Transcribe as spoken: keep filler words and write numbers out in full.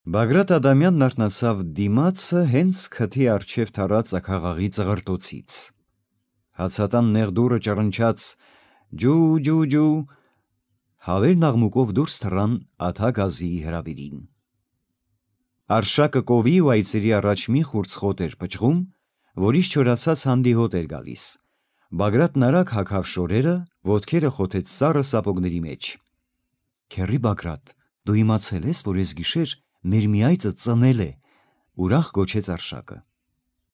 Բագրատ Ադամյանն արթնացավ դիմացը հենց քթի առջև թռած ակաղաղի ծղրտոցից. հացատան նեղ դուռը ճռնչաց ջու ջու ջու, հավերն աղմուկով դուրս թռան աթա գազիի հրավիրին. Արշակը կովի ու այծերի առաջ մի խուրձխոտ էր պճղում, որից չորացած հանդիհոտ էր գալիս. Բագրատն արագ հագավ շորերը, ոտքերը խոթեց սառը սապոգների մեջ. Քեռի Բագրատ, դու իմացել ես, որ ես գիշեր մեր մի այծը ծնել է, ուրախ գոչեց Արշակը: